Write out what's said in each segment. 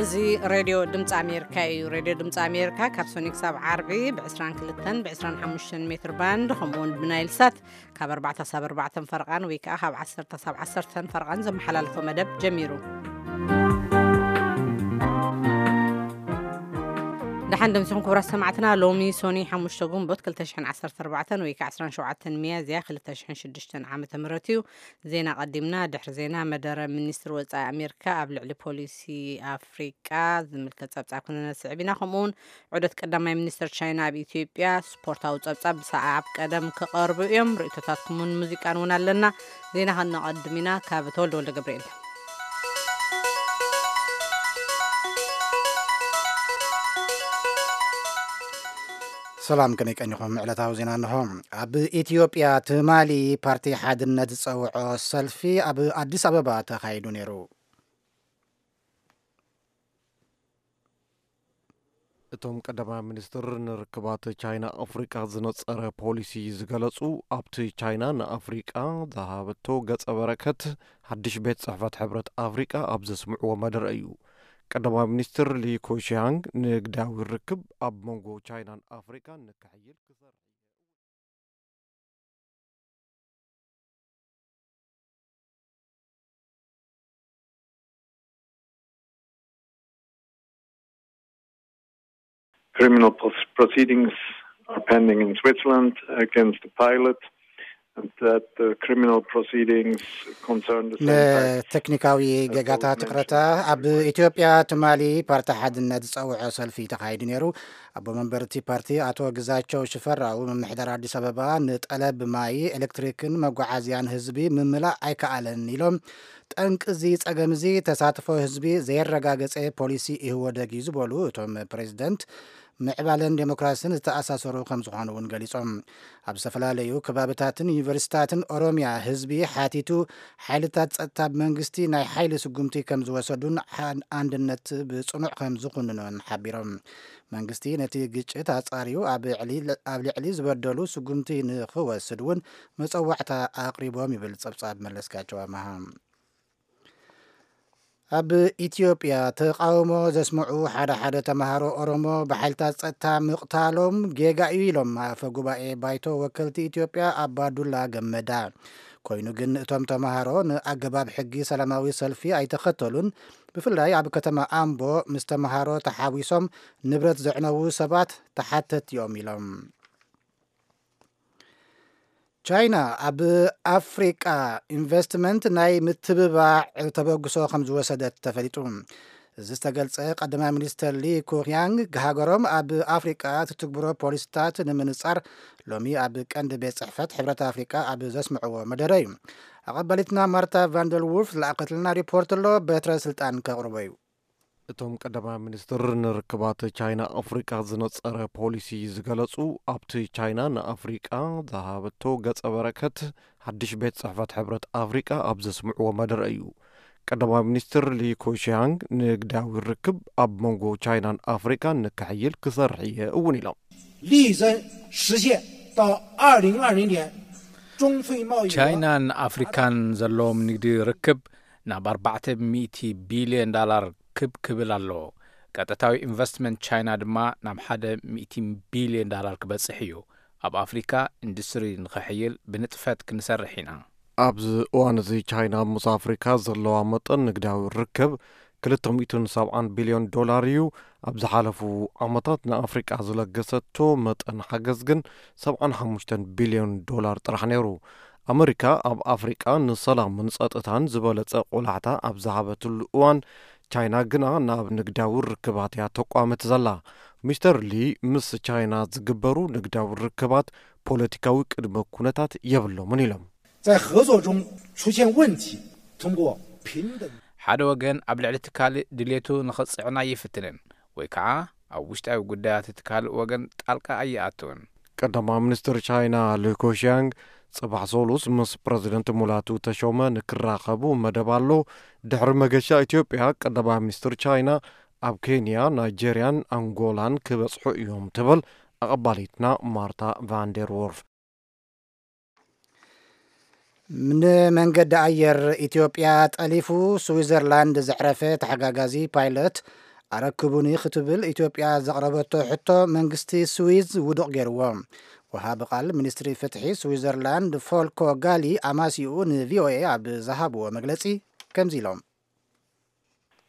እዚ ሬድዮ ድምፂ ኣሜሪካ እዩ። ሬድዮ ድምፂ ኣሜሪካ ካብ ሶኒ ክሳብ ዓርቢ ብ22 ብ25 ሜትር ባንድ፣ ከምኡ እውን ብናይል ሳት ካብ ኣርባዕተ ሳብ ኣርባዕተ ፈርቓን ወይ ከዓ ካብ ዓሰርተ ሳብ ዓሰርተ ፈርቓን ዘመሓላልፎ መደብ ጀሚሩ። ደሓን ደምሲኹም ክቡራት ሰማዕትና። ሎሚ ሶኒ ሓሙሽተ ግንቦት ክልተ ሽሕን ዓሰርተ ኣርባዕተን ወይ ከዓ ዕስራን ሸውዓተን ሚያዝያ ክልተ ሽሕን ሽዱሽተን ዓመተ ምህረት እዩ። ዜና ቀዲምና። ድሕሪ ዜና፣ መደረ ሚኒስትሪ ወጻኢ ኣሜሪካ ኣብ ልዕሊ ፖሊሲ ኣፍሪቃ ዝምልከት ጸብጻብ ክነስዕብ ኢና። ከምኡ እውን ዑደት ቀዳማይ ሚኒስትር ቻይና ኣብ ኢትዮጵያ፣ ስፖርታዊ ጸብጻብ ብሰዓብ ቀደም ክቐርቡ እዮም። ርእይቶታትኩምን ሙዚቃን እውን ኣለና። ዜና ከነቐድም ኢና። ካብ ተወልደ ወልደ ገብርኤል። ሰላም፣ ከመይ ቀኒኹም? ዕለታዊ ዜና እንሆ። ኣብ ኢትዮጵያ ትማሊ ፓርቲ ሓድነት ዝጸውዖ ሰልፊ ኣብ ኣዲስ ኣበባ ተኻይዱ ነይሩ። እቶም ቀዳማይ ሚኒስትር ንርክባት ቻይና ኣፍሪቃ ዝነጸረ ፖሊሲ ዝገለጹ፣ ኣብቲ ቻይና ንኣፍሪቃ ዝሃበቶ ገጸ በረከት ሓድሽ ቤት ጽሕፈት ሕብረት ኣፍሪቃ ኣብ ዘስምዕዎ መደረ እዩ። ቀዳማይ ሚኒስትር ሊ ኮሽያንግ ንግዳዊ ርክብ ኣብ መንጎ ቻይናን ኣፍሪቃን ንክሕይል ክሰርሕ Criminal pos- proceedings are pending in Switzerland against the pilot, and that the criminal proceedings concern the same fact. ንቴክኒካዊ ጌጋታት ይቕረታ። ኣብ ኢትዮጵያ ትማሊ ፓርቲ ሓድነት ዝጸውዖ ሰልፊ ተኻይዱ ነይሩ። ኣቦ መንበር እቲ ፓርቲ ኣቶ ግዛቸው ሽፈራው፣ ምምሕዳር ኣዲስ ኣበባ ንጠለብ ማይ፣ ኤሌክትሪክን መጓዓዝያን ህዝቢ ምምላእ ኣይከኣለን ኢሎም። ጠንቂ እዚ ጸገም እዚ ተሳትፎ ህዝቢ ዘየረጋገጸ ፖሊሲ ኢህወደግ እዩ ዝበሉ እቶም ፕሬዝደንት፣ ምዕባለን ዴሞክራሲን ዝተኣሳሰሩ ከም ዝኾኑ እውን ገሊጾም። ኣብ ዝተፈላለዩ ከባብታትን ዩኒቨርሲታትን ኦሮሚያ ህዝቢ ሓቲቱ፣ ሓይልታት ጸጥታ ብመንግስቲ ናይ ሓይሊ ስጉምቲ ከም ዝወሰዱን ሓ- ኣንድነት ብጽኑዕ ከም ዝኹንኖን ሓቢሮም። መንግስቲ ነቲ ግጭት ኣጻርዩ ኣብ ዕሊ- ኣብ ልዕሊ ዝበደሉ ስጉምቲ ንኽወስድ እውን መጸዋዕታ ኣቕሪቦም ይብል ጸብጻብ መለስካቸው ኣመሃ። ኣብ ኢትዮጵያ ተቓውሞ ዘስምዑ ሓደ ሓደ ተምሃሮ ኦሮሞ ብሓይልታት ጸጥታ ምቕታሎም ጌጋ እዩ ኢሎም ኣፈ ጉባኤ ባይቶ ወከልቲ ኢትዮጵያ ኣባዱላ ገመዳ። ኮይኑ ግን እቶም ተምሃሮ ንኣገባብ ሕጊ ሰላማዊ ሰልፊ ኣይተኸተሉን። ብፍላይ ኣብ ከተማ ኣምቦ ምስ ተምሃሮ ተሓዊሶም ንብረት ዘዕነዉ ሰባት ተሓተትቲ እዮም ኢሎም። ቻይና ኣብ ኣፍሪቃ ኢንቨስትመንት ናይ ምትብባዕ ተበግሶ ከም ዝወሰደት ተፈሊጡ። እዚ ዝተገልጸ ቀዳማይ ሚኒስተር ሊ ኩክያንግ ሃገሮም ኣብ ኣፍሪቃ ትትግብሮ ፖሊሲታት ንምንጻር ሎሚ ኣብ ቀንዲ ቤት ጽሕፈት ሕብረት ኣፍሪቃ ኣብ ዘስምዕዎ መደረ እዩ። ኣቐባሊትና ማርታ ቫንደር ውልፍ ዝለኣኸትልና ሪፖርት ኣሎ፣ በትረ ስልጣን ከቕርቦ እዩ። እቶም ቀዳማይ ሚኒስትር ንርክባት ቻይና ኣፍሪቃ ዝነጸረ ፖሊሲ ዝገለጹ፣ ኣብቲ ቻይና ንኣፍሪቃ ዝሃበቶ ገጸ በረከት ሓድሽ ቤት ጽሕፈት ሕብረት ኣፍሪቃ ኣብ ዘስምዕዎ መደረ እዩ። ቀዳማይ ሚኒስትር ሊ ኮሽያንግ ንግዳዊ ርክብ ኣብ መንጎ ቻይናን ኣፍሪቃን ንክሕይል ክሰርሕ እየ እውን ኢሎም። 力争实现到二零二零年中非贸易额 ቻይናን ኣፍሪካን ዘለዎም ንግዲ ርክብ ናብ ኣርባዕተ ሚእቲ ቢልዮን ዳላር ክብ ክብል ኣለዎ። ቀጥታዊ ኢንቨስትመንት ቻይና ድማ ናብ ሓደ ሚእቲ ቢልዮን ዳላር ክበጽሕ እዩ። ኣብ ኣፍሪካ ኢንዱስትሪ ንኸሕይል ብንጥፈት ክንሰርሕ ኢና። ኣብዚ እዋን እዚ ቻይና ምስ ኣፍሪካ ዘለዋ መጠን ንግዳዊ ርክብ ክልተ ሚእትን ሰብዓን ቢልዮን ዶላር እዩ። ኣብ ዝሓለፉ ዓመታት ንኣፍሪቃ ዝለገሰቶ መጠን ሓገዝ ግን ሰብዓን ሓሙሽተን ቢልዮን ዶላር ጥራሕ ነይሩ። ኣመሪካ ኣብ ኣፍሪቃ ንሰላምን ጸጥታን ዝበለጸ ቆላሕታ ኣብ ዝሃበትሉ እዋን፣ ቻይና ግና ናብ ንግዳዊ ርክባት እያ ተቋምት ዘላ። ሚስተር ሊ፣ ምስ ቻይና ዝግበሩ ንግዳዊ ርክባት ፖለቲካዊ ቅድመ ኩነታት የብሎምን ኢሎም። 在合作中出现问题，通过平等 ሓደ ወገን ኣብ ልዕሊ እቲ ካልእ ድሌቱ ንኸጽዕኖ ኣይፍትንን፣ ወይ ከዓ ኣብ ውሽጣዊ ጉዳያት እቲ ካልእ ወገን ጣልቃ ኣይኣትውን። ቀዳማይ ሚኒስትር ቻይና ሊ ኮሽያንግ ጽባሕ ሰሉስ ምስ ፕረዚደንት ሙላቱ ተሾመ ንክራኸቡ መደብ ኣሎ። ድሕሪ መገሻ ኢትዮጵያ፣ ቀዳማይ ሚኒስትር ቻይና ኣብ ኬንያ፣ ናይጄርያን ኣንጎላን ክበጽሑ እዮም ትብል ኣቐባሊትና ማርታ ቫንደር ዎርፍ። ንመንገዲ ኣየር ኢትዮጵያ ጠሊፉ ስዊዘርላንድ ዘዕረፈ ተሓጋጋዚ ፓይለት ኣረክቡኒ ክትብል ኢትዮጵያ ዘቕረበቶ ሕቶ መንግስቲ ስዊዝ ውዱቕ ገይርዎ። ወሃቢ ቃል ሚኒስትሪ ፍትሒ ስዊዘርላንድ ፎልኮ ጋሊ ኣማሲኡ ንቪኦኤ ኣብ ዝሃብዎ መግለጺ ከምዚ ኢሎም።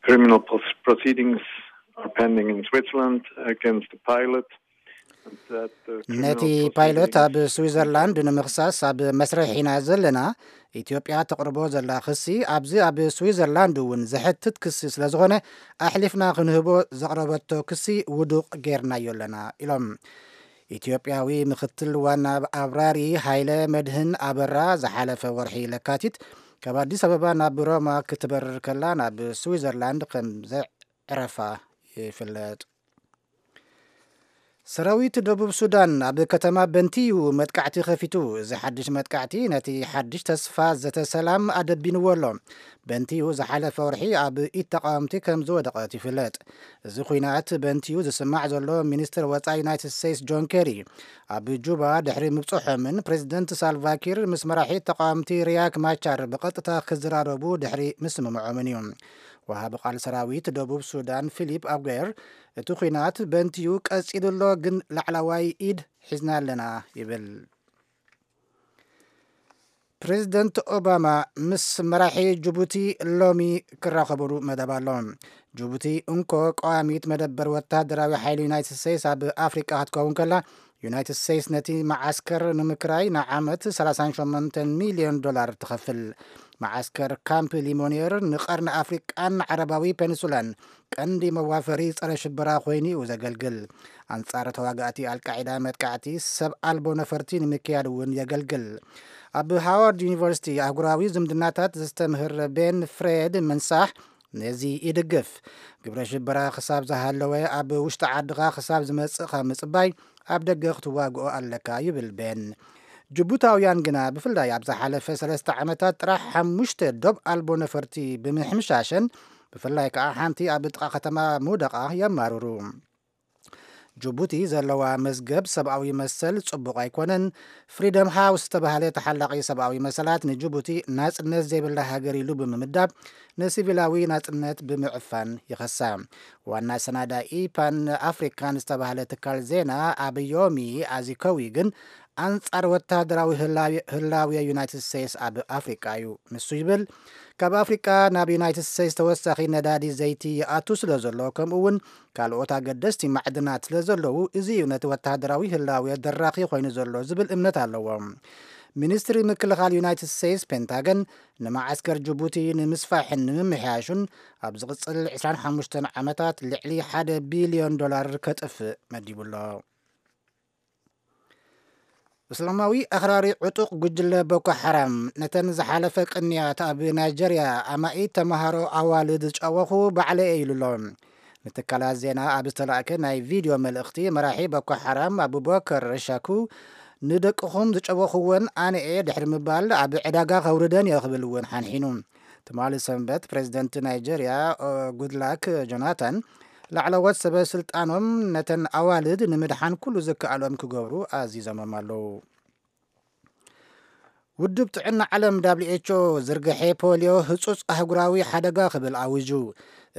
Criminal pros- proceedings are pending in Switzerland against the pilot. And that, uh, ነቲ criminal ፓይለት ኣብ proceedings ስዊዘርላንድ ንምኽሳስ ኣብ መስርሕ ኢና ዘለና። ኢትዮጵያ ተቕርቦ ዘላ ክሲ ኣብዚ ኣብ ስዊዘርላንድ እውን ዘሕትት ክሲ ስለ ዝኾነ ኣሕሊፍና ክንህቦ ዘቕረበቶ ክሲ ውዱቕ ጌርናዮ ኣለና ኢሎም። ኢትዮጵያዊ ምክትል ዋና ኣብራሪ ሃይለ መድህን ኣበራ ዝሓለፈ ወርሒ ለካቲት ካብ ኣዲስ ኣበባ ናብ ሮማ ክትበርር ከላ ናብ ስዊዘርላንድ ከም ዘዕረፋ ይፍለጥ። ሰራዊት ደቡብ ሱዳን ኣብ ከተማ በንቲዩ መጥቃዕቲ ከፊቱ። እዚ ሓድሽ መጥቃዕቲ ነቲ ሓድሽ ተስፋ ዘተ ሰላም ኣደቢንዎ ኣሎ። በንቲዩ ዝሓለፈ ወርሒ ኣብ ኢድ ተቃወምቲ ከም ዝወደቐት ይፍለጥ። እዚ ኲናት በንቲዩ ዝስማዕ ዘሎ ሚኒስትር ወጻኢ ዩናይትድ ስቴትስ ጆን ኬሪ ኣብ ጁባ ድሕሪ ምብጽሖምን ፕሬዚደንት ሳልቫኪር ምስ መራሒ ተቃወምቲ ሪያክ ማቻር ብቐጥታ ክዘራረቡ ድሕሪ ምስምምዖምን እዩ። ወሃቢ ቃል ሰራዊት ደቡብ ሱዳን ፊሊፕ ኣጉየር እቲ ኲናት በንቲዩ ቀጺሉ ኣሎ፣ ግን ላዕላዋይ ኢድ ሒዝና ኣለና ይብል። ፕሬዚደንት ኦባማ ምስ መራሒ ጅቡቲ ሎሚ ክራኸብሉ መደብ ኣሎ። ጅቡቲ እንኮ ቀዋሚት መደበር ወታደራዊ ሓይሊ ዩናይትድ ስቴትስ ኣብ ኣፍሪቃ ክትከውን ከላ፣ ዩናይትድ ስቴትስ ነቲ መዓስከር ንምክራይ ንዓመት ሰላሳን ሸሞንተን ሚልዮን ዶላር ትኸፍል። መዓስከር ካምፕ ሊሞኒየር ንቐርኒ ኣፍሪቃን ዓረባዊ ፔኒንሱላን ቀንዲ መዋፈሪ ጸረ ሽበራ ኮይኑ እዩ ዘገልግል። ኣንጻር ተዋጋእቲ ኣልቃዒዳ መጥቃዕቲ ሰብ ኣልቦ ነፈርቲ ንምክያድ እውን የገልግል። ኣብ ሃዋርድ ዩኒቨርሲቲ ኣህጉራዊ ዝምድናታት ዘስተምህር ቤን ፍሬድ መንሳሕ ነዚ ይድግፍ። ግብረ ሽበራ ክሳብ ዝሃለወ ኣብ ውሽጢ ዓድኻ ክሳብ ዝመጽእኻ ምጽባይ ኣብ ደገ ክትዋግኦ ኣለካ ይብል ቤን። ጅቡታውያን ግና ብፍላይ ኣብ ዝሓለፈ ሰለስተ ዓመታት ጥራሕ ሓሙሽተ ዶብ ኣልቦ ነፈርቲ ብምሕምሻሸን ብፍላይ ከዓ ሓንቲ ኣብ ጥቓ ከተማ ምውደቓ የማርሩ። ጅቡቲ ዘለዋ መዝገብ ሰብኣዊ መሰል ጽቡቕ ኣይኮነን። ፍሪደም ሃውስ ዝተባህለ ተሓላቒ ሰብኣዊ መሰላት ንጅቡቲ ናጽነት ዘይብላ ሃገር ኢሉ ብምምዳብ ንሲቪላዊ ናጽነት ብምዕፋን ይኸሳ። ዋና ሰናዳኢ ፓን ኣፍሪካን ዝተባህለ ትካል ዜና ኣብ ዮሚ ኣዚኮዊ ግን ኣንጻር ወታደራዊ ህላዊ- ህላዊ ዩናይትድ ስቴትስ ኣብ ኣፍሪቃ እዩ። ንሱ ይብል፣ ካብ ኣፍሪቃ ናብ ዩናይትድ ስቴትስ ተወሳኺ ነዳዲ ዘይቲ ይኣቱ ስለ ዘሎ፣ ከምኡ እውን ካልኦት ኣገደስቲ ማዕድናት ስለ ዘለዉ፣ እዚ እዩ ነቲ ወታደራዊ ህላዊ ደራኺ ኮይኑ ዘሎ ዝብል እምነት ኣለዎ። ሚኒስትሪ ምክልኻል ዩናይትድ ስቴትስ ፔንታገን ንመዓስከር ጅቡቲ ንምስፋሕን ንምምሕያሹን ኣብ ዝቕጽል ዕስራን ሓሙሽተን ዓመታት ልዕሊ ሓደ ቢልዮን ዶላር ከጥፍእ መዲቡ ኣሎ። እስላማዊ ኣኽራሪ ዕጡቕ ጉጅለ ቦኮ ሓራም ነተን ዝሓለፈ ቅንያት ኣብ ናይጀርያ ኣማኢት ተምሃሮ ኣዋልድ ዝጨወኹ ባዕለ እየ ኢሉ ኣሎ። ንትካላት ዜና ኣብ ዝተላእከ ናይ ቪድዮ መልእኽቲ መራሒ ቦኮ ሓራም ኣቡበከር ሻኩ ንደቅኹም ዝጨወኹወን ኣነ እየ ድሕሪ ምባል ኣብ ዕዳጋ ከውርደን እየ ክብል እውን ሓንሒኑ። ትማሊ ሰንበት ፕሬዚደንት ናይጀርያ ጉድላክ ጆናታን ላዕለዎት ሰበ ስልጣኖም ነተን ኣዋልድ ንምድሓን ኩሉ ዝከኣሎም ክገብሩ ኣዚዞሞም ኣለዉ። ውድብ ጥዕና ዓለም ዳብሊው ኤች ኦ ዝርግሐ ፖሊዮ ህጹጽ ኣህጉራዊ ሓደጋ ክብል ኣዊጁ።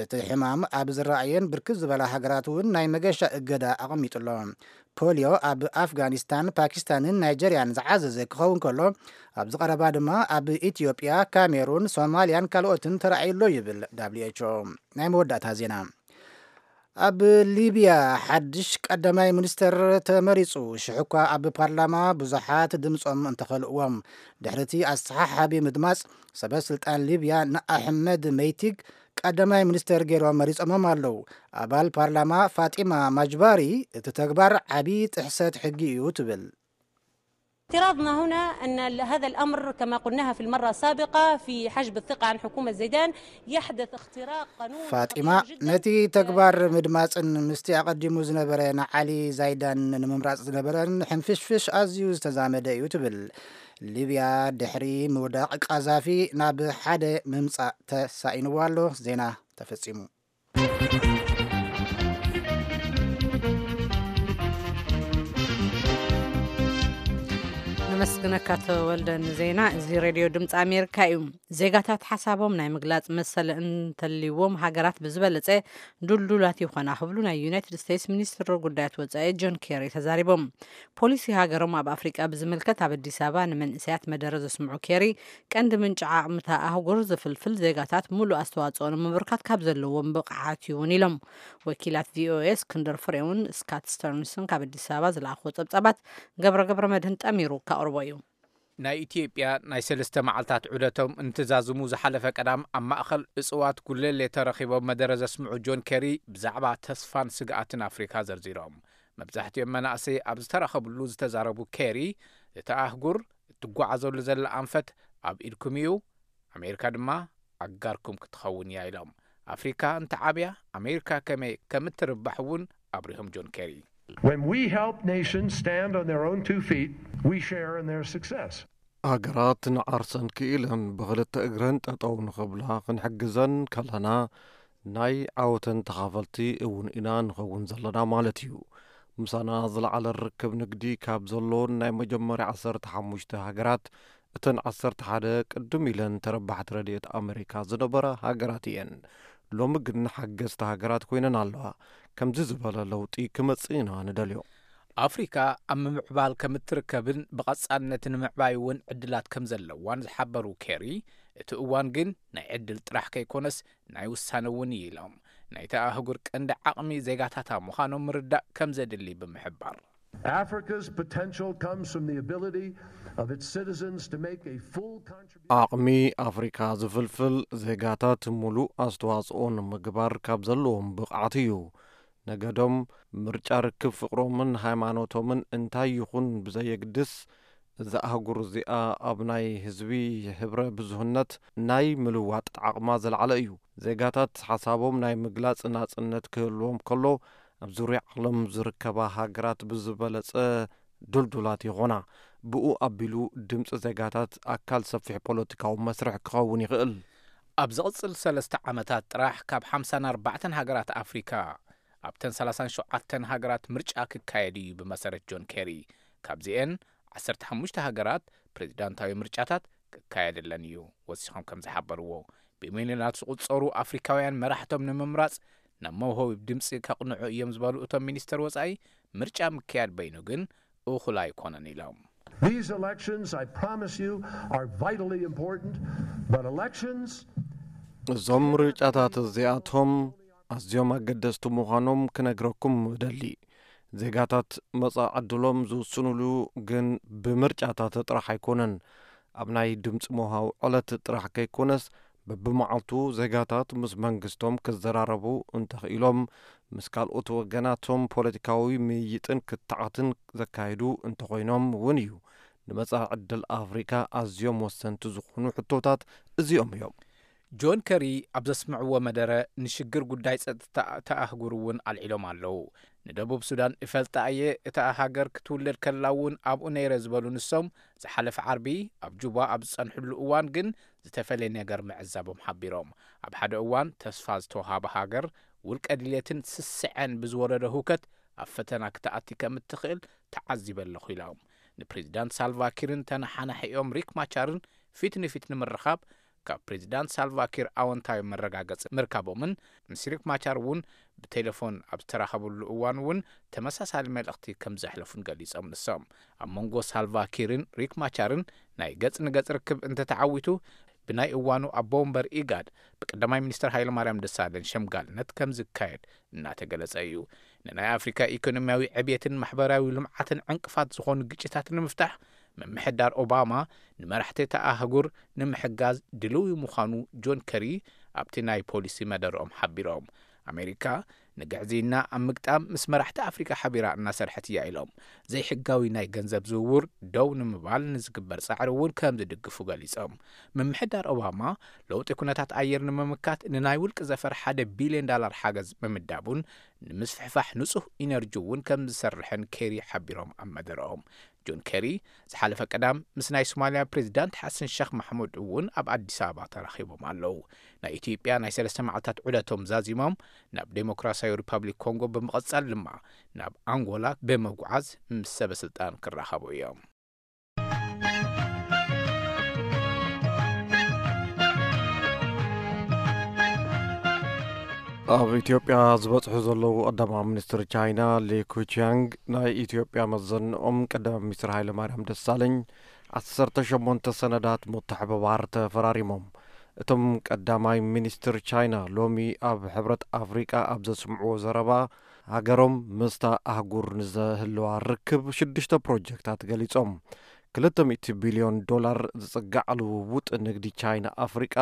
እቲ ሕማም ኣብ ዝረኣየን ብርክት ዝበላ ሃገራት እውን ናይ መገሻ እገዳ ኣቐሚጡ ኣሎ። ፖሊዮ ኣብ ኣፍጋኒስታን፣ ፓኪስታንን ናይጀርያን ዝዓዘዘ ክኸውን ከሎ፣ ኣብዚ ቀረባ ድማ ኣብ ኢትዮጵያ፣ ካሜሩን፣ ሶማልያን ካልኦትን ተራእዩ ኣሎ ይብል ዳብሊው ኤች ኦ። ናይ መወዳእታ ዜና። ኣብ ሊብያ ሓድሽ ቀዳማይ ሚኒስተር ተመሪጹ። ሽሕ እኳ ኣብ ፓርላማ ብዙሓት ድምጾም እንተኸልእዎም፣ ድሕሪ እቲ ኣሰሓሓቢ ምድማጽ፣ ሰበ ስልጣን ሊብያ ንኣሕመድ መይቲግ ቀዳማይ ሚኒስተር ገይሮም መሪጾሞም ኣለዉ። ኣባል ፓርላማ ፋጢማ ማጅባሪ፣ እቲ ተግባር ዓቢ ጥሕሰት ሕጊ እዩ ትብል። اعتراضنا هنا أن هذا الأمر كما قلناها في المرة السابقة في حجب الثقة عن حكومة زيدان يحدث اختراق قانون ፋጢማ خطير جدًا. ነቲ ተግባር ምድማፅን ምስቲ ኣቐዲሙ ዝነበረ ንዓሊ ዛይዳን ንምምራፅ ዝነበረን ሕንፍሽፍሽ ኣዝዩ ዝተዛመደ እዩ ትብል። ሊብያ ድሕሪ ምውዳቕ ቃዛፊ ናብ ሓደ ምምፃእ ተሳኢንዋ ኣሎ። ዜና ተፈፂሙ። መስግነካ ተወልደ ንዜና። እዚ ሬድዮ ድምፂ ኣሜሪካ እዩ። ዜጋታት ሓሳቦም ናይ ምግላፅ መሰል እንተልይዎም ሃገራት ብዝበለፀ ድልዱላት ይኾና ክብሉ ናይ ዩናይትድ ስቴትስ ሚኒስትር ጉዳያት ወፃኢ ጆን ኬሪ ተዛሪቦም። ፖሊሲ ሃገሮም ኣብ ኣፍሪቃ ብዝምልከት ኣብ ኣዲስ ኣበባ ንመንእሰያት መደረ ዘስምዑ ኬሪ፣ ቀንዲ ምንጪ ዓቕምታ ኣህጉር ዝፍልፍል ዜጋታት ሙሉእ ኣስተዋፅኦ ንምብርካት ካብ ዘለዎም ብቕዓት እዩ እውን ኢሎም። ወኪላት ቪኦኤ እስክንድር ፍሬውን ስካት ስተርንስን ካብ ኣዲስ ኣበባ ዝለኣኽዎ ጸብጻባት ገብረ ገብረ መድህን ጠሚሩ ካቕርቦ እዩ። ናይ ኢትዮጵያ ናይ ሰለስተ መዓልታት ዑደቶም እንትዛዝሙ ዝሓለፈ ቀዳም ኣብ ማእኸል እፅዋት ጉለሌ ተረኺቦም መደረ ዘስምዑ ጆን ኬሪ ብዛዕባ ተስፋን ስግኣትን ኣፍሪካ ዘርዚሮም። መብዛሕትኦም መናእሰይ ኣብ ዝተረኸብሉ ዝተዛረቡ ኬሪ፣ እቲ ኣህጉር እትጓዓዘሉ ዘላ ኣንፈት ኣብ ኢድኩም እዩ፣ ኣሜሪካ ድማ ኣጋርኩም ክትኸውን እያ ኢሎም። ኣፍሪካ እንተዓብያ ኣሜሪካ ከመይ ከምትርባሕ እውን ኣብሪሆም ጆን ኬሪ። When we help nations stand on their own two feet, we share in their success. ሃገራት ንዓርሰን ክኢለን ብኽልተ እግረን ጠጠው ንኽብላ ክንሕግዘን ከለና ናይ ዓወተን ተኻፈልቲ እውን ኢና ንኸውን ዘለና ማለት እዩ። ምሳና ዝለዓለ ርክብ ንግዲ ካብ ዘለዎን ናይ መጀመርያ ዓሰርተ ሓሙሽተ ሃገራት እተን ዓሰርተ ሓደ ቅድም ኢለን ተረባሕቲ ረድኤት ኣመሪካ ዝነበራ ሃገራት እየን። ሎሚ ግን ሓገዝቲ ሃገራት ኮይነን ኣለዋ። ከምዚ ዝበለ ለውጢ ክመጽእ ኢና ንደልዮ። ኣፍሪካ ኣብ ምምዕባል ከምትርከብን ብቐጻልነት ንምዕባይ እውን ዕድላት ከም ዘለዋን ዝሓበሩ ኬሪ፣ እቲ እዋን ግን ናይ ዕድል ጥራሕ ከይኮነስ ናይ ውሳነ እውን እዩ ኢሎም። ናይቲ ኣህጉር ቀንዲ ዓቕሚ ዜጋታታ ምዃኖም ምርዳእ ከም ዘድሊ ብምሕባር። Africa's potential comes from the ability of its citizens to make a full contribution. ዓቕሚ ኣፍሪካ ዝፍልፍል ዜጋታት ሙሉእ ኣስተዋፅኦ ንምግባር ካብ ዘለዎም ብቕዓት እዩ። ነገዶም፣ ምርጫ ርክብ ፍቕሮምን ሃይማኖቶምን እንታይ ይኹን ብዘየግድስ፣ እዛ ኣህጉር እዚኣ ኣብ ናይ ህዝቢ ህብረ ብዙህነት ናይ ምልዋጥ ዓቕማ ዝለዓለ እዩ። ዜጋታት ሓሳቦም ናይ ምግላፅ ናፅነት ክህልዎም ከሎ፣ ኣብ ዙርያ ዓለም ዝርከባ ሃገራት ብዝበለፀ ድልዱላት ይኾና። ብኡ ኣቢሉ ድምፂ ዜጋታት ኣካል ሰፊሕ ፖለቲካዊ መስርሕ ክኸውን ይኽእል። ኣብ ዝቕፅል ሰለስተ ዓመታት ጥራሕ ካብ ሓምሳን ኣርባዕተን ሃገራት ኣፍሪካ ኣብተን ሰላሳን ሸውዓተን ሃገራት ምርጫ ክካየድ እዩ ብመሰረት ጆን ኬሪ። ካብዚኤን ዓሰርተ ሓሙሽተ ሃገራት ፕሬዚዳንታዊ ምርጫታት ክካየደለን እዩ። ወሲኾም ከም ዝሓበርዎ፣ ብሚልዮናት ዝቑጸሩ ኣፍሪካውያን መራሕቶም ንምምራፅ ናብ መውሃቢ ድምፂ ከቕንዑ እዮም ዝበሉ እቶም ሚኒስተር ወፃኢ፣ ምርጫ ምክያድ በይኑ ግን እኹል ኣይኮነን ኢሎም። These elections, I promise you, are vitally important, but elections እዞም ምርጫታት እዚኣቶም ኣዝዮም ኣገደስቲ ምዃኖም ክነግረኩም እደሊ። ዜጋታት መጻኢ ዕድሎም ዝውስኑሉ ግን ብምርጫታት ጥራሕ ኣይኮነን። ኣብ ናይ ድምፂ ምውሃብ ዕለት ጥራሕ ከይኮነስ፣ በብመዓልቱ ዜጋታት ምስ መንግስቶም ክዘራረቡ እንተኽኢሎም፣ ምስ ካልኦት ወገናቶም ፖለቲካዊ ምይይጥን ክትዓትን ዘካይዱ እንተኾይኖም እውን እዩ። ንመጻኢ ዕድል ኣፍሪካ ኣዝዮም ወሰንቲ ዝኾኑ ሕቶታት እዚኦም እዮም። ጆን ከሪ ኣብ ዘስምዕዎ መደረ፣ ንሽግር ጉዳይ ጸጥታ እታ ኣህጉር እውን ኣልዒሎም ኣለዉ። ንደቡብ ሱዳን እፈልጣ እየ፣ እታ ሃገር ክትውለድ ከላ እውን ኣብኡ ነይረ ዝበሉ ንሶም፣ ዝሓለፈ ዓርቢ ኣብ ጁባ ኣብ ዝጸንሕሉ እዋን ግን ዝተፈለየ ነገር ምዕዛቦም ሓቢሮም። ኣብ ሓደ እዋን ተስፋ ዝተውሃበ ሃገር፣ ውልቀ ድሌትን ስስዐን ብዝወረዶ ህውከት ኣብ ፈተና ክትኣቲ ከም እትኽእል ተዓዚበ ኣለኹ ኢሎም። ንፕሬዚዳንት ሳልቫኪርን ተነሓናሒኦም ሪክ ማቻርን ፊት ንፊት ንምርኻብ ካብ ፕሬዚዳንት ሳልቫኪር ኣወንታዊ መረጋገፂ ምርካቦምን ምስ ሪክ ማቻር እውን ብቴሌፎን ኣብ ዝተራኸብሉ እዋን እውን ተመሳሳሊ መልእኽቲ ከም ዘሕለፉን ገሊጾም። ንሶም ኣብ መንጎ ሳልቫኪርን ሪክ ማቻርን ናይ ገጽ ንገጽ ርክብ እንተተዓዊቱ፣ ብናይ እዋኑ ኣቦ ወንበር ኢጋድ ብቀዳማይ ሚኒስትር ሃይለማርያም ደሳለኝ ሸምጋልነት ከም ዝካየድ እናተገለጸ እዩ። ንናይ ኣፍሪካ ኢኮኖሚያዊ ዕብየትን ማሕበራዊ ልምዓትን ዕንቅፋት ዝኾኑ ግጭታት ንምፍታሕ፣ ምምሕዳር ኦባማ ንመራሕቲ እታ ኣህጉር ንምሕጋዝ ድልዊ ምዃኑ ጆን ከሪ ኣብቲ ናይ ፖሊሲ መደረኦም ሓቢሮም። ኣሜሪካ ንግዕዝይና ኣብ ምግጣም ምስ መራሕቲ ኣፍሪካ ሓቢራ እናሰርሐት እያ ኢሎም። ዘይሕጋዊ ናይ ገንዘብ ዝውውር ደው ንምባል ንዝግበር ጻዕሪ እውን ከም ዝድግፉ ገሊጾም። ምምሕዳር ኦባማ ለውጢ ኩነታት ኣየር ንምምካት ንናይ ውልቂ ዘፈር ሓደ ቢልዮን ዳላር ሓገዝ ምምዳቡን ንምስፍሕፋሕ ንጹህ ኢነርጂ እውን ከም ዝሰርሕን ኬሪ ሓቢሮም ኣብ መደረኦም። ጆን ኬሪ ዝሓለፈ ቀዳም ምስ ናይ ሶማልያ ፕሬዚዳንት ሓሰን ሸኽ ማሕሙድ እውን ኣብ ኣዲስ ኣበባ ተራኺቦም ኣለዉ። ናይ ኢትዮጵያ ናይ ሰለስተ መዓልታት ዑደቶም ዛዚሞም ናብ ዴሞክራሲያዊ ሪፐብሊክ ኮንጎ ብምቕጻል ድማ ናብ ኣንጎላ ብምጉዓዝ ምስ ሰበ ስልጣን ክራኸቡ እዮም። ኣብ ኢትዮጵያ ዝበጽሑ ዘለዉ ቀዳማይ ሚኒስትር ቻይና ሊ ኩቺያንግ፣ ናይ ኢትዮጵያ መዘንኦም ቀዳማይ ሚኒስትር ሃይለማርያም ደሳለኝ ዓሰርተ ሸሞንተ ሰነዳት ምትሕብባር ተፈራሪሞም። እቶም ቀዳማይ ሚኒስትር ቻይና ሎሚ ኣብ ሕብረት ኣፍሪቃ ኣብ ዘስምዕዎ ዘረባ፣ ሃገሮም ምስታ ኣህጉር ንዘህልዋ ርክብ ሽዱሽተ ፕሮጀክታት ገሊጾም። ክልተ ሚእቲ ቢልዮን ዶላር ዝጽጋዕ ልውውጥ ንግዲ ቻይና ኣፍሪቃ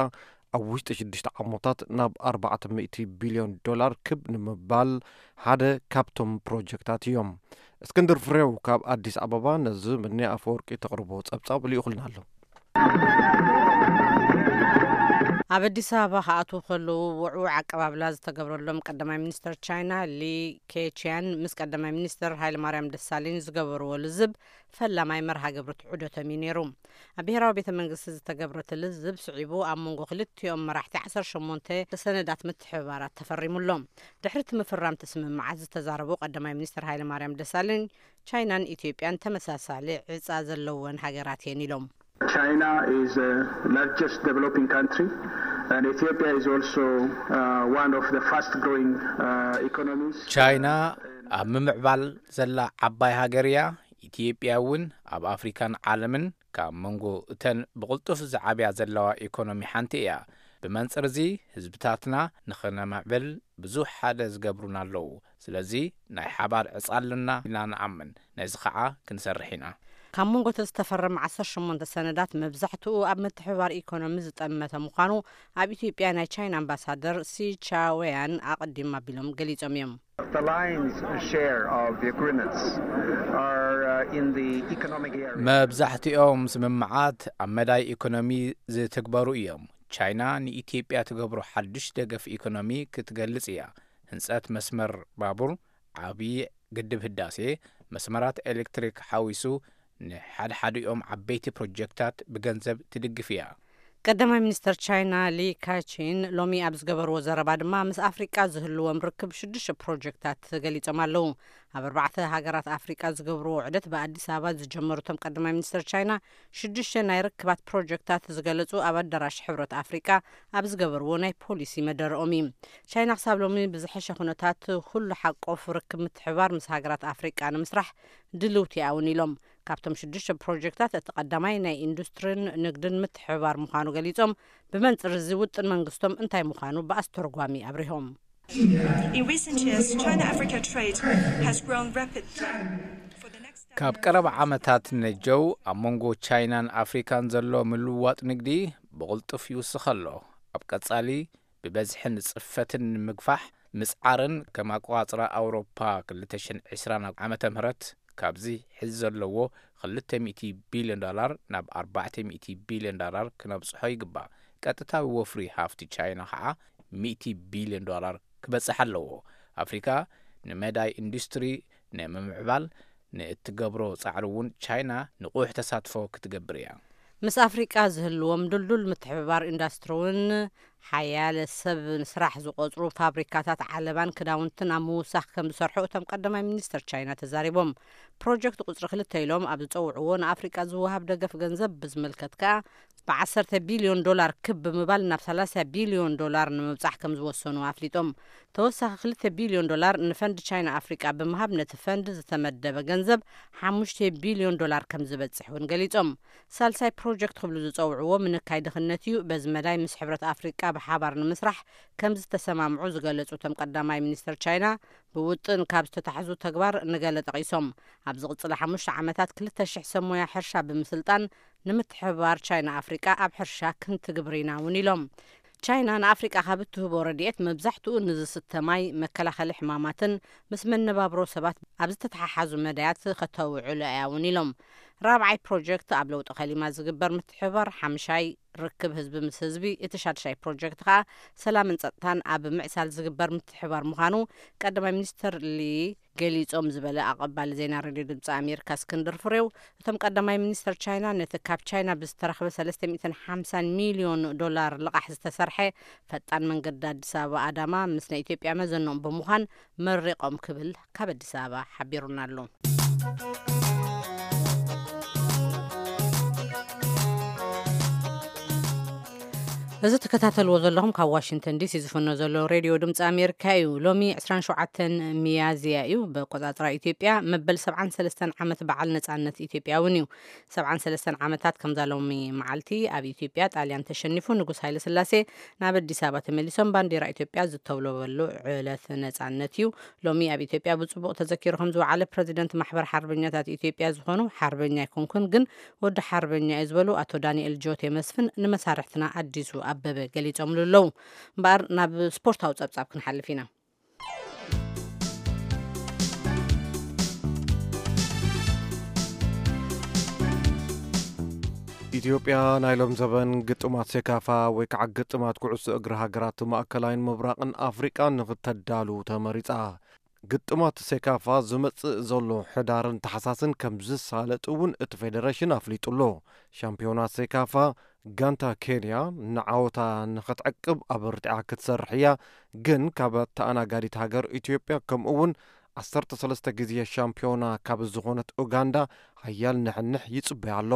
ኣብ ውሽጢ ሽዱሽተ ዓመታት ናብ ኣርባዕተ ሚእቲ ቢልዮን ዶላር ክብ ንምባል ሓደ ካብቶም ፕሮጀክታት እዮም። እስክንድር ፍሬው ካብ ኣዲስ ኣበባ ነዚ ምኒ ኣፈወርቂ ተቕርቦ ጸብጻብ ልኢኹልና ኣሎ። ኣብ ኣዲስ ኣበባ ክኣትዉ ከለዉ ውዕዉዕ ኣቀባብላ ዝተገብረሎም ቀዳማይ ሚኒስትር ቻይና ሊ ኬቺያን ምስ ቀዳማይ ሚኒስትር ሃይለማርያም ደሳለኝ ዝገበርዎ ልዝብ ፈላማይ መርሃ ግብሪ ትዑደቶም እዩ ነይሩ። ኣብ ብሔራዊ ቤተ መንግስቲ ዝተገብረ እቲ ልዝብ ስዒቡ ኣብ መንጎ ክልቲኦም መራሕቲ ዓሰርተ ሸሞንተ ሰነዳት ምትሕብባራት ተፈሪሙሎም። ድሕሪ እቲ ምፍራም እቲ ስምምዓት ዝተዛረቡ ቀዳማይ ሚኒስትር ሃይለማርያም ደሳለኝ፣ ቻይናን ኢትዮጵያን ተመሳሳሊ ዕፃ ዘለወን ሃገራት እየን ኢሎም። China is the largest developing country, and Ethiopia is also uh, one of the fast growing uh, economies. ቻይና ኣብ ምምዕባል ዘላ ዓባይ ሃገር እያ። ኢትዮጵያ እውን ኣብ ኣፍሪካን ዓለምን ካብ መንጎ እተን ብቕልጡፍ ዝዓብያ ዘለዋ ኢኮኖሚ ሓንቲ እያ። ብመንፅር እዚ ህዝብታትና ንኽነምዕብል ብዙሕ ሓደ ዝገብሩና ኣለዉ። ስለዚ ናይ ሓባር ዕፃ ኣለና ኢልና ንኣምን። ነዚ ከዓ ክንሰርሕ ኢና። ካብ መንጎ እቲ ዝተፈረመ ዓሰርተ ሸሞንተ ሰነዳት መብዛሕትኡ ኣብ ምትሕብባር ኢኮኖሚ ዝጠመተ ምዃኑ ኣብ ኢትዮጵያ ናይ ቻይና ኣምባሳደር ሲ ቻወያን ኣቐዲም ኣቢሎም ገሊጾም እዮም። The lion's share of the agreements are uh, in the economic area. መብዛሕትኦም ስምምዓት ኣብ መዳይ ኢኮኖሚ ዝትግበሩ እዮም። ቻይና ንኢትዮጵያ ትገብሮ ሓዱሽ ደገፍ ኢኮኖሚ ክትገልጽ እያ። ህንጸት መስመር ባቡር፣ ዓብዪ ግድብ ህዳሴ፣ መስመራት ኤሌክትሪክ ሓዊሱ ንሓድሓዲኦም ዓበይቲ ፕሮጀክታት ብገንዘብ ትድግፍ እያ። ቀዳማይ ሚኒስተር ቻይና ሊ ካቺን ሎሚ ኣብ ዝገበርዎ ዘረባ ድማ ምስ ኣፍሪቃ ዝህልዎም ርክብ ሽዱሽተ ፕሮጀክታት ገሊጾም ኣለዉ። ኣብ ኣርባዕተ ሃገራት ኣፍሪቃ ዝገብርዎ ውዕደት ብኣዲስ ኣበባ ዝጀመሩ እቶም ቀዳማይ ሚኒስተር ቻይና ሽዱሽተ ናይ ርክባት ፕሮጀክታት ዝገለጹ ኣብ ኣዳራሽ ሕብረት ኣፍሪቃ ኣብ ዝገበርዎ ናይ ፖሊሲ መደረኦም እዩ። ቻይና ክሳብ ሎሚ ብዝሐሸ ኩነታት ኩሉ ሓቆፍ ርክብ ምትሕብባር ምስ ሃገራት ኣፍሪቃ ንምስራሕ ድልውቲ እያ እውን ኢሎም። ካብቶም ሽዱሽተ ፕሮጀክታት እቲ ቀዳማይ ናይ ኢንዱስትሪን ንግድን ምትሕብባር ምዃኑ ገሊጾም፣ ብመንጽር እዚ ውጥን መንግስቶም እንታይ ምዃኑ ብኣስተርጓሚ ኣብሪሆም። In recent years, China Africa trade has grown rapidly. For the next ካብ ቀረባ ዓመታት ነጀው ኣብ መንጎ ቻይናን ኣፍሪካን ዘሎ ምልውዋጥ ንግዲ ብቕልጡፍ ይውስኽ ኣሎ። ኣብ ቀጻሊ ብበዝሕን ጽፈትን ንምግፋሕ ምጽዓርን ከም ኣቆጻጽራ ኣውሮፓ ክልተ ሽሕን ዕስራን ዓመተ ምህረት ካብዚ ሕዚ ዘለዎ ክልተ ሚእቲ ቢልዮን ዶላር ናብ ኣርባዕተ ሚእቲ ቢልዮን ዶላር ክነብጽሖ ይግባእ። ቀጥታዊ ወፍሪ ሃፍቲ ቻይና ከዓ ሚእቲ ቢልዮን ዶላር ክበጽሕ ኣለዎ። ኣፍሪካ ንመዳይ ኢንዱስትሪ ንምምዕባል ንእትገብሮ ጻዕሪ እውን ቻይና ንቑሕ ተሳትፎ ክትገብር እያ። ምስ ኣፍሪቃ ዝህልዎም ድልዱል ምትሕብባር ኢንዳስትሪ እውን ሓያለ ሰብ ንስራሕ ዝቆጽሩ ፋብሪካታት ዓለባን ክዳውንትን ኣብ ምውሳኽ ከም ዝሰርሑ እቶም ቀዳማይ ሚኒስተር ቻይና ተዛሪቦም። ፕሮጀክት ቁጽሪ ክልተ ኢሎም ኣብ ዝጸውዕዎ ንኣፍሪቃ ዝወሃብ ደገፍ ገንዘብ ብዝምልከት ከኣ ብዓሰርተ ቢልዮን ዶላር ክብ ብምባል ናብ ሰላሳ ቢልዮን ዶላር ንምብጻሕ ከም ዝወሰኑ ኣፍሊጦም። ተወሳኺ ክልተ ቢልዮን ዶላር ንፈንድ ቻይና ኣፍሪቃ ብምሃብ ነቲ ፈንድ ዝተመደበ ገንዘብ ሓሙሽተ ቢልዮን ዶላር ከም ዝበጽሕ እውን ገሊጾም። ሳልሳይ ፕሮጀክት ክብሉ ዝጸውዕዎ ምንካይ ድኽነት እዩ። በዚ መዳይ ምስ ሕብረት ኣፍሪቃ ብሓባር ንምስራሕ ከም ዝተሰማምዑ ዝገለጹ እቶም ቀዳማይ ሚኒስተር ቻይና፣ ብውጥን ካብ ዝተታሕዙ ተግባር ንገለ ጠቒሶም። ኣብ ዝቕጽላ ሓሙሽተ ዓመታት ክልተ ሽሕ ሰብ ሞያ ሕርሻ ብምስልጣን ንምትሕብባር ቻይና ኣፍሪቃ ኣብ ሕርሻ ክንትግብር ኢና እውን ኢሎም። ቻይና ንኣፍሪቃ ካብ እትህቦ ረድኤት መብዛሕትኡ ንዝስተ ማይ፣ መከላኸሊ ሕማማትን ምስ መነባብሮ ሰባት ኣብ ዝተተሓሓዙ መዳያት ከተውዕሎ እያ እውን ኢሎም። ራብዓይ ፕሮጀክት ኣብ ለውጢ ከሊማ ዝግበር ምትሕብባር፣ ሓምሻይ ርክብ ህዝቢ ምስ ህዝቢ፣ እቲ ሻድሻይ ፕሮጀክት ከኣ ሰላምን ጸጥታን ኣብ ምዕሳል ዝግበር ምትሕብባር ምዃኑ ቀዳማይ ሚኒስተር ሊ ገሊጾም ዝበለ ኣቐባሊ ዜና ሬድዮ ድምፂ ኣሜሪካ እስክንድር ፍሬው፣ እቶም ቀዳማይ ሚኒስተር ቻይና ነቲ ካብ ቻይና ብዝተረኽበ ሰለስተ ሚእትን ሓምሳን ሚልዮን ዶላር ልቓሕ ዝተሰርሐ ፈጣን መንገዲ ኣዲስ ኣበባ ኣዳማ ምስ ናይ ኢትዮጵያ መዘንኦም ብምዃን መሪቖም ክብል ካብ ኣዲስ ኣበባ ሓቢሩና ኣሎ። እዚ ትከታተልዎ ዘለኹም ካብ ዋሽንግተን ዲሲ ዝፍኖ ዘሎ ሬድዮ ድምፂ ኣሜሪካ እዩ። ሎሚ ዕስራን ሸውዓተን ሚያዝያ እዩ። ብኣቆፃፅራ ኢትዮጵያ መበል ሰብዓን ሰለስተን ዓመት በዓል ነፃነት ኢትዮጵያ እውን እዩ። ሰብዓን ሰለስተን ዓመታት ከምዛ ሎሚ መዓልቲ ኣብ ኢትዮጵያ ጣልያን ተሸኒፉ ንጉስ ሃይለ ስላሴ ናብ ኣዲስ ኣበባ ተመሊሶም ባንዲራ ኢትዮጵያ ዝተውለበሉ ዕለት ነፃነት እዩ። ሎሚ ኣብ ኢትዮጵያ ብፅቡቕ ተዘኪሩ ከም ዝወዓለ ፕረዚደንት ማሕበር ሓርበኛታት ኢትዮጵያ ዝኾኑ ሓርበኛ ኣይኮንኩን ግን ወዲ ሓርበኛ እዩ ዝበሉ ኣቶ ዳንኤል ጆቴ መስፍን ንመሳርሕትና ኣዲሱ ኣበበ ገሊጾምሉ ኣለዉ። እምበኣር ናብ ስፖርታዊ ጸብጻብ ክንሓልፍ ኢና። ኢትዮጵያ ናይ ሎም ዘበን ግጥማት ሴካፋ ወይ ከዓ ግጥማት ኩዕሶ እግሪ ሃገራት ማእከላይን ምብራቕን ኣፍሪቃ ንክተዳሉ ተመሪጻ። ግጥማት ሴካፋ ዝመጽእ ዘሎ ሕዳርን ታሕሳስን ከም ዝሳለጥ እውን እቲ ፌደሬሽን ኣፍሊጡ ኣሎ። ሻምፒዮናት ሴካፋ ጋንታ ኬንያ ንዓወታ ንኽትዕቅብ ኣበርቲዓ ክትሰርሕ እያ፣ ግን ካብ ተኣናጋዲት ሃገር ኢትዮጵያ ከምኡ እውን ዓሰርተ ሰለስተ ግዜ ሻምፒዮና ካብ ዝኾነት ኡጋንዳ ሓያል ንሕንሕ ይጽበያ ኣሎ።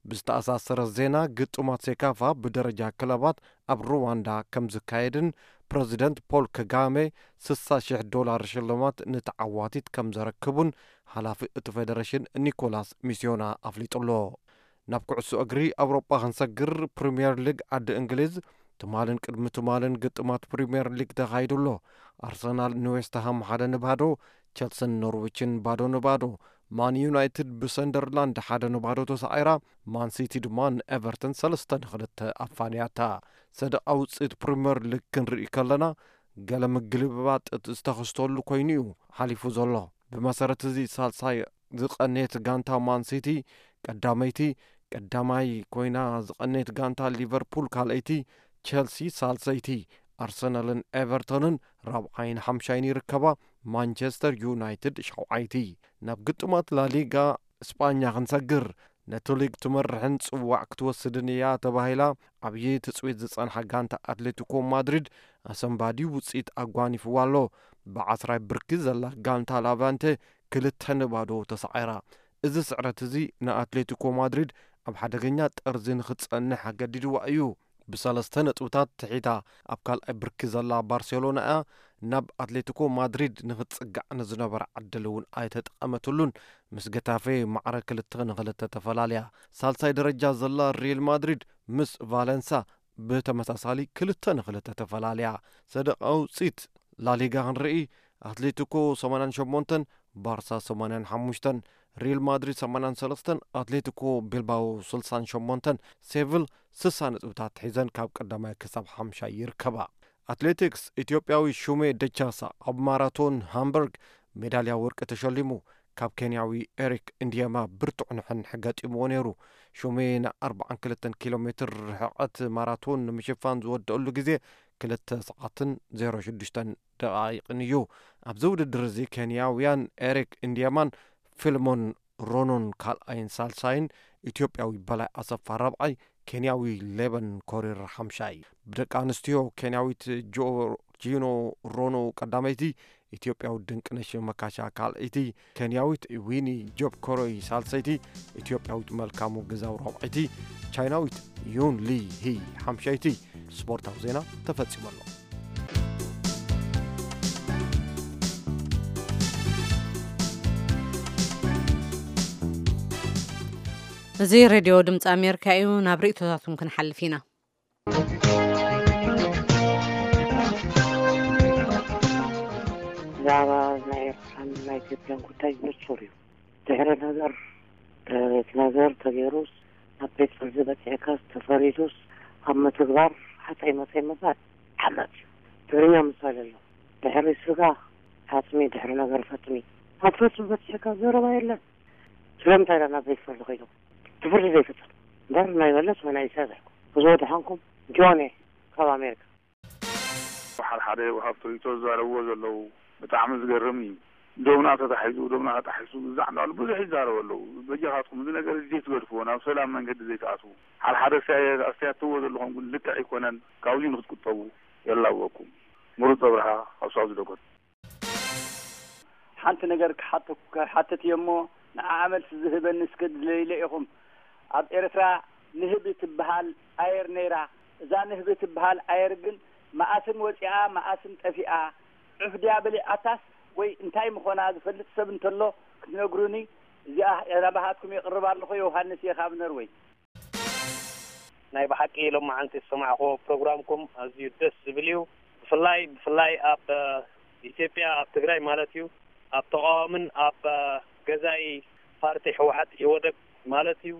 ብዝተኣሳሰረ ዜና፣ ግጥማት ሴካፋ ብደረጃ ክለባት ኣብ ሩዋንዳ ከም ዝካየድን ፕረዚደንት ፖል ከጋሜ ስሳ ሽሕ ዶላር ሽልማት ንተዓዋቲት ከም ዘረክቡን ሓላፊ እቲ ፌደሬሽን ኒኮላስ ሚስዮና ኣፍሊጡ ኣሎ። ናብ ኩዕሶ እግሪ ኣውሮጳ ክንሰግር፣ ፕሪምየር ሊግ ዓዲ እንግሊዝ ትማልን ቅድሚ ትማልን ግጥማት ፕሪምየር ሊግ ተኻይዱ ኣሎ። ኣርሰናል ንዌስትሃም ሓደ ንባዶ፣ ቸልስን ኖርዊችን ባዶ ንባዶ፣ ማን ዩናይትድ ብሰንደርላንድ ሓደ ንባዶ ተሳዒራ፣ ማን ሲቲ ድማ ንኤቨርተን ሰለስተ ንክልተ ኣፋንያታ። ሰደቓ ውፅኢት ፕሪምየር ሊግ ክንርኢ ከለና፣ ገለ ምግልብባጥ ዝተኸስተሉ ኮይኑ እዩ ሓሊፉ ዘሎ። ብመሰረት እዚ፣ ሳልሳይ ዝቐነየት ጋንታ ማን ሲቲ ቀዳመይቲ፣ ቀዳማይ ኮይና ዝቐነየት ጋንታ ሊቨርፑል ካልኣይቲ፣ ቸልሲ ሳልሰይቲ፣ ኣርሰናልን ኤቨርተንን ራብዓይን ሓምሻይን ይርከባ፣ ማንቸስተር ዩናይትድ ሻውዓይቲ። ናብ ግጥማት ላሊጋ እስጳኛ ክንሰግር፣ ነቲ ሊግ ትመርሕን ጽዋዕ ክትወስድን እያ ተባሂላ ዓብዪ ትጽቢት ዝጸንሓ ጋንታ ኣትሌቲኮ ማድሪድ ኣሰንባዲ ውጽኢት ኣጓኒፍዋ ኣሎ። ብዓስራይ ብርኪ ዘላ ጋንታ ላቫንቴ ክልተ ንባዶ ተሳዒራ። እዚ ስዕረት እዚ ንኣትሌቲኮ ማድሪድ ኣብ ሓደገኛ ጠርዚ ንኽትጸንሕ ኣገዲድዋ እዩ። ብሰለስተ ነጥብታት ትሒታ ኣብ ካልኣይ ብርኪ ዘላ ባርሴሎና እያ ናብ ኣትሌቲኮ ማድሪድ ንኽትጽጋዕ ንዝነበራ ዕድል እውን ኣይተጠቐመትሉን። ምስ ገታፌ ማዕረ ክልተ ንኽልተ ተፈላልያ። ሳልሳይ ደረጃ ዘላ ሪል ማድሪድ ምስ ቫለንሳ ብተመሳሳሊ ክልተ ንኽልተ ተፈላልያ። ሰደቓ ውፅኢት ላሊጋ ክንርኢ፣ ኣትሌቲኮ ሰማንያን ሸሞንተን፣ ባርሳ ሰማንያን ሓሙሽተን፣ ሪል ማድሪድ ሰማንያን ሰለስተን፣ ኣትሌቲኮ ቢልባኦ ስልሳን ሸሞንተን፣ ሴቪል ስሳ ነጥብታት ሒዘን ካብ ቀዳማይ ክሳብ ሓምሻይ ይርከባ። ኣትሌቲክስ፣ ኢትዮጵያዊ ሹሜ ደቻሳ ኣብ ማራቶን ሃምበርግ ሜዳልያ ወርቂ ተሸሊሙ። ካብ ኬንያዊ ኤሪክ እንዲየማ ብርቱዕ ንሕንሕ ገጢምዎ ነይሩ። ሹሜ ንኣርብዓን ክልተን ኪሎ ሜትር ርሕቐት ማራቶን ንምሽፋን ዝወደአሉ ግዜ ክልተ ሰዓትን ዜሮ ሽዱሽተን ደቓይቕን እዩ። ኣብዚ ውድድር እዚ ኬንያውያን ኤሪክ እንዲየማን ፊልሞን ሮኖን ካልኣይን ሳልሳይን፣ ኢትዮጵያዊ በላይ ኣሰፋ ራብዓይ፣ ኬንያዊ ሌበን ኮሪር ሓምሻይ። ብደቂ ኣንስትዮ፣ ኬንያዊት ጆርጂኖ ሮኖ ቀዳመይቲ፣ ኢትዮጵያዊት ድንቅነሽ መካሻ ካልኣይቲ፣ ኬንያዊት ዊኒ ጆብ ኮሮይ ሳልሰይቲ፣ ኢትዮጵያዊት መልካሙ ግዛው ራብዓይቲ፣ ቻይናዊት ዩን ሊ ሂ ሓምሻይቲ። ስፖርታዊ ዜና ተፈጺሙ ኣሎ። እዚ ሬድዮ ድምፂ ኣሜሪካ እዩ። ናብ ርእይቶታትኩም ክንሓልፍ ኢና። ብዛዕባ ናይ ኤርትራን ናይ ኢትዮጵያን ጉዳይ ንጹር እዩ። ድሕሪ ነገር፣ እቲ ነገር ተገይሩስ፣ ናብ ቤት ፍርዲ በጺሕካስ፣ ተፈሪዱስ፣ ኣብ ምትግባር ሓፀይ መፀይ ምባል ሓመድ እዩ። ትግርኛ ምሳሌ ኣሎ። ድሕሪ ስጋ ሓፅሚ፣ ድሕሪ ነገር ፈፅሚ። ኣብ ፈፅሚ በፂሕካ ዘረባ የለን። ስለምንታይ ኢና ናብ ቤት ፍርዲ ከይዱ? እቲ ፍርዲ ዘይፍፅም እምበር ናይ መለስ ወይ ናይ ኢሳያስ ኣይኮን። ብዙ ድሓንኩም ጆን እየ ካብ ኣሜሪካ። ሓደ ሓደ ወሃብቲ ርእይቶ ዝዛረብዎ ዘለዉ ብጣዕሚ ዝገርም እዩ። ዶብና ተታሒዙ፣ ዶብና ተጣሒሱ፣ ብዛዕ እንዳበሉ ብዙሕ ይዛረቡ ኣለዉ። በጃኻትኩም እዚ ነገር እዚ ዘይትገድፍዎ፣ ናብ ሰላም መንገዲ ዘይትኣትዉ። ሓደ ሓደ ኣስተያ-፣ ኣስተያትዎ ዘለኹም ግን ልክዕ ኣይኮነን። ካብዚ ንክትቁጠቡ የላብወኩም። ምሩፅ ኣብርሃ ካብ ሳውዝ ዳኮታ። ሓንቲ ነገር ክሓተኩ-፣ ክሓትት እየ እሞ፣ ንዓኣ መልሲ ዝህበኒ እስከ ድለይለ ኢኹም። ኣብ ኤርትራ ንህቢ ትበሃል ኣየር ነይራ። እዛ ንህቢ ትበሃል ኣየር ግን መኣስን ወፂኣ መኣስን ጠፊኣ፣ ዑፍ ድያ በሊዓታስ ወይ እንታይ ምኾና ዝፈልጥ ሰብ እንተሎ ክትነግሩኒ። እዚኣ ናባኻትኩም የቕርብ ኣለኹ። ዮሃንስ እየ ካብ ነርወይ። ናይ ብሓቂ ሎማዓንቲ ዝሰማዕኹዎ ፕሮግራምኩም ኣዝዩ ደስ ዝብል እዩ። ብፍላይ ብፍላይ ኣብ ኢትዮጵያ፣ ኣብ ትግራይ ማለት እዩ፣ ኣብ ተቃዋምን ኣብ ገዛኢ ፓርቲ ህወሓት ኢህወደግ ማለት እዩ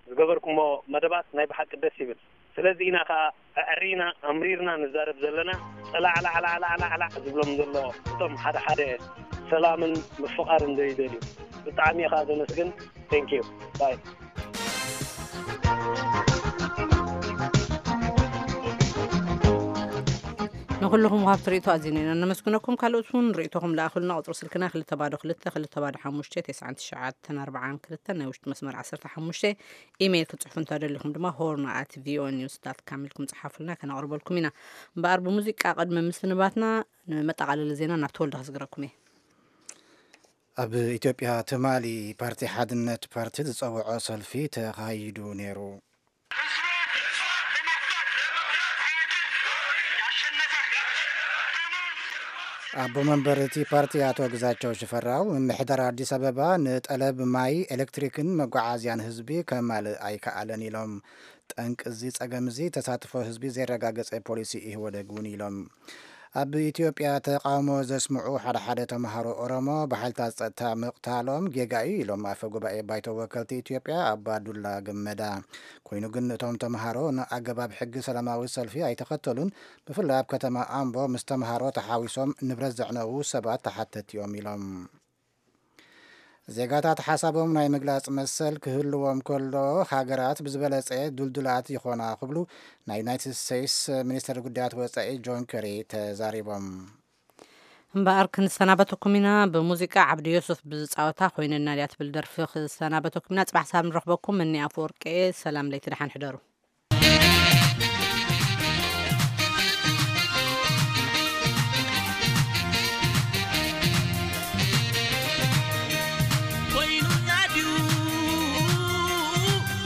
ዝገበርኩሞ መደባት ናይ ብሓቂ ደስ ይብል። ስለዚ ኢና ከዓ ኣዕሪና ኣምሪርና ንዛረብ ዘለና። ጸላዕላዕላዕላዕላዕ ዝብሎም ዘሎ እቶም ሓደ ሓደ ሰላምን ምፍቓርን ዘይደልዩ። ብጣዕሚ እየ ከዓ ዘመስግን። Thank you. Bye. ንኩልኹም ውሃብቲ ርእቶ ኣዚና ኢና ነመስግነኩም። ካልኦት እውን ርእቶኹም ለኣኹልና። ቁፅሪ ስልክና ክልተ ባዶ ክልተ ክልተ ባዶ ሓሙሽተ ተስዓን ትሽዓተን ኣርባዓን ክልተን፣ ናይ ውሽጢ መስመር ዓሰርተ ሓሙሽተ። ኢሜይል ክትፅሕፉ እንተደሊኹም ድማ ሆርን ኣት ቪኦኤ ኒውስ ዳት ካም ኢልኩም ፅሓፉልና፣ ከነቕርበልኩም ኢና። እምበኣር ብሙዚቃ ቅድሚ ምስንባትና ንመጠቓለሊ ዜና ናብ ተወልደ ክዝግረኩም እየ። ኣብ ኢትዮጵያ ትማሊ ፓርቲ ሓድነት ፓርቲ ዝፀውዖ ሰልፊ ተኻይዱ ነይሩ። ኣቦ መንበር እቲ ፓርቲ ኣቶ ግዛቸው ሽፈራው፣ ምምሕዳር ኣዲስ ኣበባ ንጠለብ ማይ፣ ኤሌክትሪክን መጓዓዝያን ህዝቢ ከማልእ ኣይከኣለን ኢሎም። ጠንቂ እዚ ጸገም እዚ ተሳትፎ ህዝቢ ዘየረጋገጸ ፖሊሲ ኢህወደግ እውን ኢሎም። ኣብ ኢትዮጵያ ተቓውሞ ዘስምዑ ሓደ ሓደ ተምሃሮ ኦሮሞ ብሓይልታት ጸጥታ ምቕታሎም ጌጋ እዩ ኢሎም ኣፈ ጉባኤ ባይቶ ወከልቲ ኢትዮጵያ ኣባዱላ ገመዳ። ኮይኑ ግን እቶም ተምሃሮ ንኣገባብ ሕጊ ሰላማዊ ሰልፊ ኣይተኸተሉን። ብፍላይ ኣብ ከተማ ኣምቦ ምስ ተምሃሮ ተሓዊሶም ንብረት ዘዕነዉ ሰባት ተሓተቲ እዮም ኢሎም። ዜጋታት ሓሳቦም ናይ ምግላጽ መሰል ክህልዎም ከሎ ሃገራት ብዝበለጸ ዱልዱላት ይኾና ክብሉ ናይ ዩናይትድ ስቴትስ ሚኒስተር ጉዳያት ወጻኢ ጆን ከሪ ተዛሪቦም። እምበኣር ክንሰናበተኩም ኢና ብሙዚቃ። ዓብዲ ዮሱፍ ብዝፃወታ ኮይነና ድያ ትብል ደርፊ ክሰናበተኩም ኢና። ፅባሕ ሳብ ንረኽበኩም። እኒ ኣፈወርቂ ሰላም ለይቲ ደሓን ሕደሩ። ኮይኑና ድዩ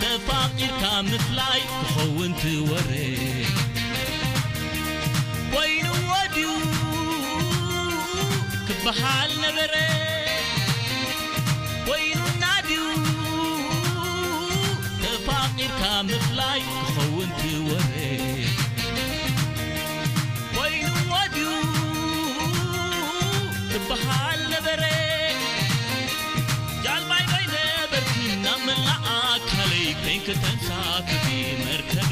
ተፋቂርካ ምፍላይ ክኸውን ትወረ ኮይንዎ ድዩ ክበሃል ነበረ ኮይኑና ድዩ ተፋቂርካ ምፍላይ ክኸውን ትወረ ኮይንዎ ድዩ ክበሃል ነበረ ጃልባይ ዶ ይነበርኪ ናብ መላእ ኣካለይ ኮይንኪ ተንሳፍፊ መርከበ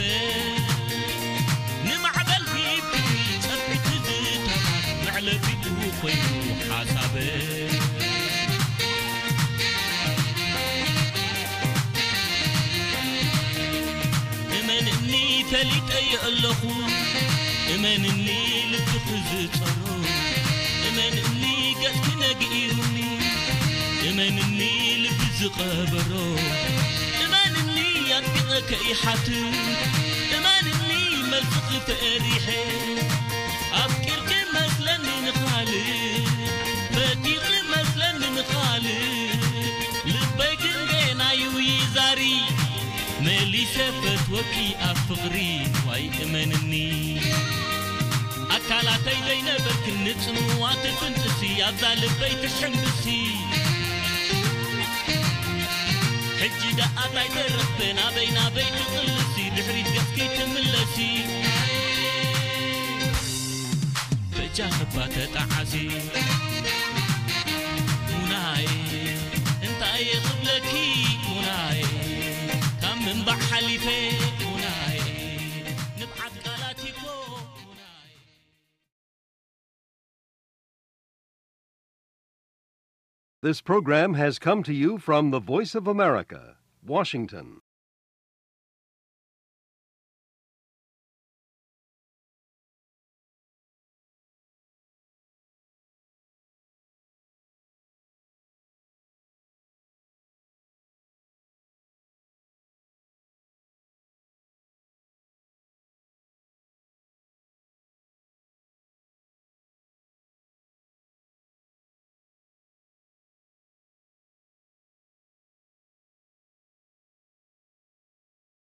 ንማዕበል ሂብኪ ጸፍዒ ትዝታታት መዕለቢኡ ኮይኑ ሓሳበ እመንኒ ፈሊጠዮ ኣለኹ እመንኒ ልብኺ ዝጸሮ እመንኒ ገጽኪ ነጊሩኒ እመንኒ ልቢ ዝቐበሮ እመንኒ ኣጥቢቐ ከይሓትት እመንኒ መልስኺ ፈሪሐ ኣፍቂርኪ መስለኒ ንኻልእ ፈቲኺ መስለኒ ንኻልእ ልበይ ግን ጌና እዩ ይዛሪ መሊሰ ፈትወኪ ኣብ ፍቕሪ ዋይ እመንኒ ኣካላተይ ዘይነበርክን ንጽምዋ ትፍንጥሲ ኣብዛ ልበይ ትሕምብሲ ሕጂ ደኣ ታይ ተረኽበ ናበይ ናበይ ትቕልሲ ድሕሪት ገጽኪ ትምለሲ በጃኺ እባ ተጣዓሲ ሙናየ እንታይ ክብለኪ ሙናየ ካብ ምንባዕ ሓሊፈ ሙናየ ንብዓት ቃላት እኮ ሙናየ This program has come to you from the Voice of America, Washington.